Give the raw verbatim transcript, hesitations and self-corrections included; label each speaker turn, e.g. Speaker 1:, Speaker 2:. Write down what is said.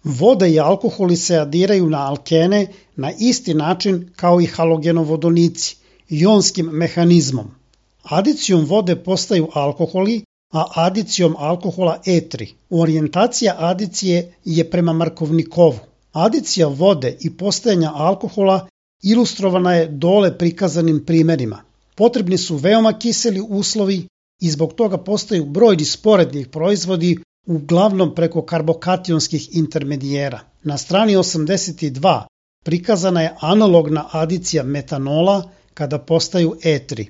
Speaker 1: Voda i alkoholi se adiraju na alkene na isti način kao i halogenovodonici, ionskim mehanizmom. Adicijom vode postaju alkoholi, a adicijom alkohola etri. Orijentacija adicije je prema Markovnikovu. Adicija vode i postajanja alkohola ilustrovana je dole prikazanim primerima. Potrebni su veoma kiseli uslovi i zbog toga postaju brojni sporednih proizvodi, uglavnom preko karbokationskih intermedijera. Na strani osamdeset dva prikazana je analogna adicija metanola kada postaju etri.